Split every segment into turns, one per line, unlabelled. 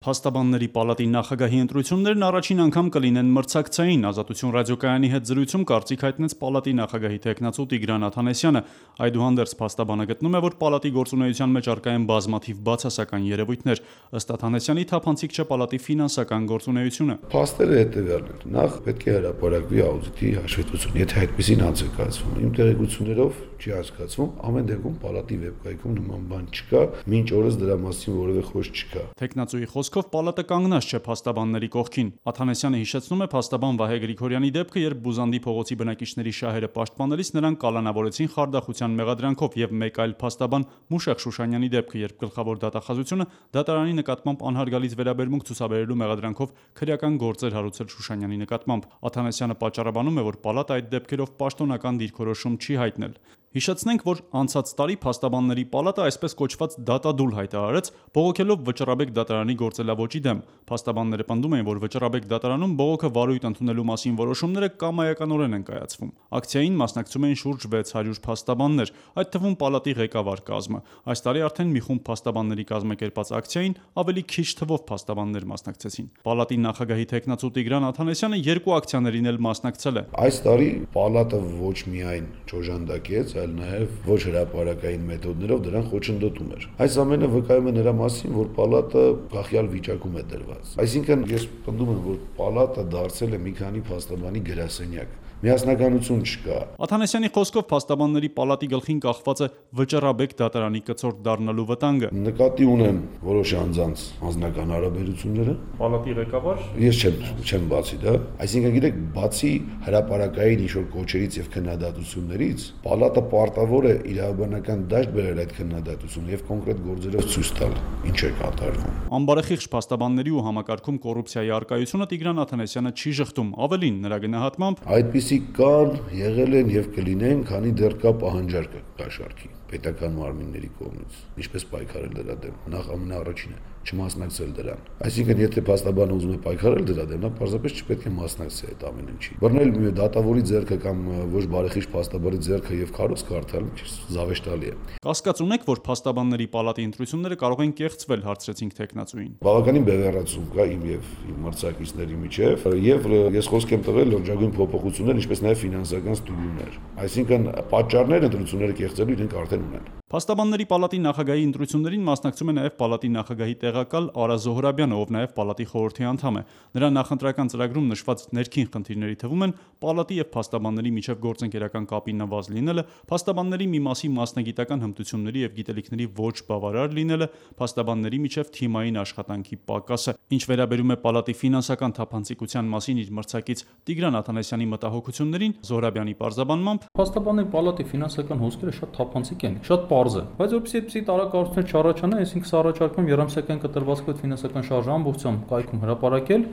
Փաստաբանների պալատի նախագահի ընտրություններն առաջին անգամ կլինեն մրցակցային։ Ազատություն ռադիոկայանի հետ զրույցում կարծիք հայտնեց պալատի նախագահի թեկնածու Տիգրան Աթանեսյանը։ Այդուհանդերձ փաստաբանը գտնում է, որ պալատի գործունեության մեջ առկա են բազմաթիվ բացասական երևույթներ։ Ըստ Աթանեսյանի, թափանցիկ չէ պալատի ֆինանսական գործունեությունը։
Փաստերը հետևյալն են. նախ պետք է հրապարակվի աուդիտի հաշվետվություն, եթե այդպեսին անց է կայացվում։ Իմ տեղեկություններով չի հասկացվում, ամեն դեպքում պալատի վեբկայքում նման բան չկա, մինչ օրս դրա մասին որևէ խոսք չկա։
Թեկնածուի խոսքով պալատը կանգնած չէ փաստաբանների կողքին։ Աթանեսյանը հիշեցնում է փաստաբան Վահե Գրիգորյանի դեպքը, երբ Բուզանդի փողոցի բնակիչների շահերը պաշտպանելիս նրան կալանավորեցին խարդախության մեղադրանքով, եւ մեկ այլ փաստաբան Մուշեղ Շուշանյանի դեպքը, երբ գլխավոր դատախազությունը դատարանի նկատմամբ անհարգալից վերաբերմունք ցուցաբերելու մեղադրանքով քրեական գործեր հարուցել Շուշանյանի նկատմամբ։ Աթանեսյանը պատճառաբանում է, որ պալատը այդ դեպքերով պաշտոնական դիրքորոշում չի հայտնել։ Հիշեցնենք, որ անցած տարի փաստաբանների պալատը այսպես կոչված դատադուլ հայտարարեց, բողոքելով Վճռաբեկ դատարանի գործելավոճի դեմ։ Փաստաբանները պնդում էին, որ Վճռաբեկ դատարանում բողոքը վարույթ ընդունելու մասին որոշումները կամայականորեն են կայացվում։ Ակցիային մասնակցում էին շուրջ 600 փաստաբաններ, այդ թվում պալատի ղեկավար կազմը։ Այս տարի արդեն մի խումբ փաստաբանների կազմակերպած ակցիային ավելի քիչ թվով փաստաբաններ մասնակցեցին։ Պալատի նախագահի թեկնածու Տիգրան Աթանեսյանը երկու ակցիաներին էլ մասնակցել է։
Այս տարի պալատը ոչ միայն չօժանդակեց, այլ նաև ոչ հրապարակային մեթոդներով դրան խոչընդոտում էր։ Այս ամենը վկայում է նրա մասին, որ պալատը գախյալ վիճակում է դրված։ Այսինքն ես պնդում եմ, որ պալատը դարձել է մի քանի փաստաբանի գրասենյակ։ Միասնականություն չկա։
Աթանեսյանի խոսքով փաստաբանների պալատի գլխին կախված է Վճռաբեկ դատարանի կցորդ դառնալու վտանգը։
Նկատի ունեմ որոշ անձանց անձնական հարաբերությունները։
Պալատի ղեկավար։
Ես չեմ բացի դա։ Այսինքն գիտեք, բացի հրապարակային ինչ-որ կոչերից եւ քննադատություններից, պալատը պարտավոր է իրավաբանական դաշտ բերել այդ քննադատությունը եւ կոնկրետ գործերով ցույց տալ ինչ է կատարվում։
Անբարեխիղճ փաստաբանների ու համակարգում կոռուպցիայի առկայությունը Տիգրան Աթանեսյանը չի շղթում, ավելին նրա գնահատմամբ
այդպիսի կան, եղել են եւ կլինեն, քանի դեռ կա պահանջարկը կաշառքի պետական մարմինների կողմից, ինչպես պայքարել դրա դեմ։ Նախ ամենաառաջինը չմասնակցել դրան։ Այսինքն, եթե փաստաբանը ուզում է պայքարել դրա դեմ, նա պարզապես չպետք է մասնակցի այդ ամեն ինչի։ Բռնել մի դատավորի ձեռքը կամ ոչ բարեխիղճ փաստաբանի ձեռքը եւ քարոզ կարդալ զավեշտալի է։
Կասկած ունեք, որ փաստաբանների պալատի ընտրությունները կարող են կեղծվել, հարցրեցինք թեկնածուին։
Բավականին բևեռացում կա իմ եւ իմ մրցակիցների միջեւ, եւ ես խոսք եմ տվել լրջագույն փոփոխություններ, ինչպես նաեւ ֆինանսական ստուգումներ։ Այսինքն, պատճառները ընտրությունները կեղծելու իրենք արդեն ունեն։
Փաստաբանների պալատի նախագահի ընտրություններին մասնակցում է նաև պալատի նախագահի տեղակալ Արա Զոհրաբյանը, ով նաև պալատի խորհրդի անդամ է։ Նրա նախընտրական ծրագրում նշված ներքին խնդիրների թվում են պալատի եւ փաստաբանների միջև գործընկերական կապի նվազ լինելը, փաստաբանների մի մասի մասնագիտական հմտությունների եւ գիտելիքների ոչ բավարար լինելը, փաստաբանների միջև թիմային աշխատանքի պակասը։ Ինչ վերաբերում է պալատի ֆինանսական թափանցիկության մասին իր մրցակից Տիգրան Աթանեսյանի մտահոգություններին, Զոհրաբյանի պարզաբանմամբ
փաստաբանների պալատի ֆինանսական հոսքերը շատ թափանցիկ են, շատ պարզ է, բայց որպեսզի այդպիսի տարակառուցումներ չառաջանա, այսինքն սա առաջարկում երամսյակային կտրվածքով ֆինանսական շարժը ամբողջությամբ կայքում հրապարակել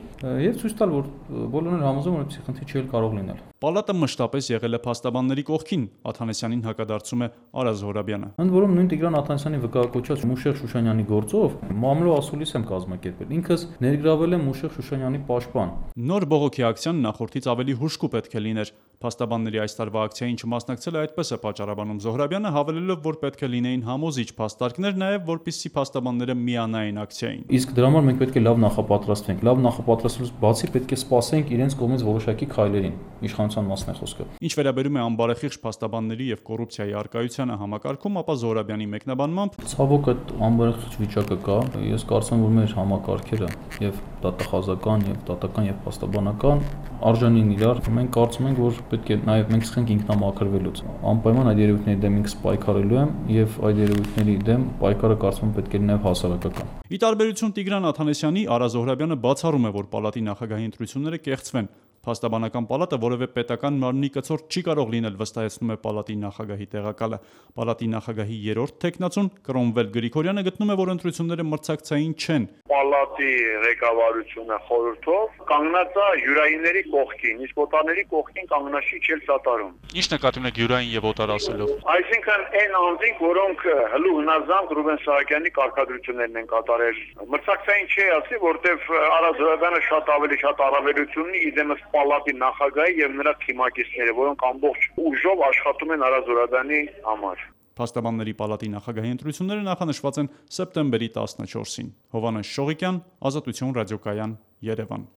եւ ցույց տալ, որ բոլորն են համոզում, որ այդպիսի խնդիր չի կարող լինել։
Պալատը մշտապես եղել է փաստաբանների կողքին, Աթանեսյանին հակադարձում է Արա Զոհրաբյանը։
Ընդ որում նույն Տիգրան Աթանեսյանի վկայակոչած Մուշեղ Շուշանյանի գործով մամլո ասուլիս եմ կազմակերպել։ Ինքս ներգրավել եմ Մուշեղ Շուշանյանի պաշտպան։
Նոր բողոքի ակցիան նախորդից ավելի հուժկու պետք է լիներ։ Փաստաբանների այս տարվա ակցիային չմասնակցելը այդպես է պատճառաբանում Զոհրաբյանը, հավելելով, որ պետք է լինեին համոզիչ փաստարկներ, նաև որպեսզի փաստաբանները միանային ակցիային։
Իսկ դրա համար մենք պետք է լավ նախապատրաստվենք։ Լավ նախապատրաստելուց բացի պետք է սպասենք իրենց կողմից որոշակի քայլերին։ Իշխանության մասն է խոսքը։
Ինչ վերաբերում է անբարեխիղճ փաստաբանների եւ կոռուպցիայի առկայությանը համակարգում, ապա Զոհրաբյանի մեկնաբանմամբ
ցավոք այդ անբարեխիղճ վիճակը կա։ Ես կարծում եմ, որ մեր համակարգերը եւ դատախազական եւ դատական եւ փաստաբանական արժանի են իրար։ Մենք կարծում ենք, որ պետք է նաեւ մենք սկսենք ինքնամաքրվելուց։ Անպայման այդ երևույթների դեմ ինքս պայքարելու եմ եւ այդ երևույթների դեմ պայքարը կարծում եմ պետք է լինի հասարակական։
Ի տարբերություն Տիգրան Աթանեսյանի, Արա Զոհրաբյանը բացառում է, որ պալատի նախագահի ընտրությունները կեղծվեն։ Փաստաբանական պալատը որևէ պետական մարմնի կցորդ չի կարող լինել, վստահեցնում է պալատի նախագահի տեղակալը։ Պալատի նախագահի երրորդ թեկնածուն Կրոմվել Գրիգորյանը գտնում է, որ ընտրությունները մրցակցային չեն։
Պալատի ղեկավարությունը խորհրդով կանգնած է յուրայինների կողքին, իսկ օտարների կողքին կանգնաշի չել սատարում։
Ինչ նկատի ունեք յուրային եւ օտար ասելով։
Այսինքն այն անձինք, որոնք հլու հնազանդ Ռուբեն Սահակյանի կարգադրություններն են կատարել, մրցակցային չի ասի, որտեվ Արա Զոհրաբյանը շատ ավելի շատ առավելություն ունի իդեմս պալատի նախագահի եւ նրա թիմակիցները, որոնք ամբողջ ուժով աշխատում են Արա Զոհրաբյանի համար։
Փաստաբանների պալատի նախագահի ընտրությունները նախանշված են սեպտեմբերի 14-ին։ Հովհաննես Շողիկյան, Ազատություն ռադիոկայան, Երևան։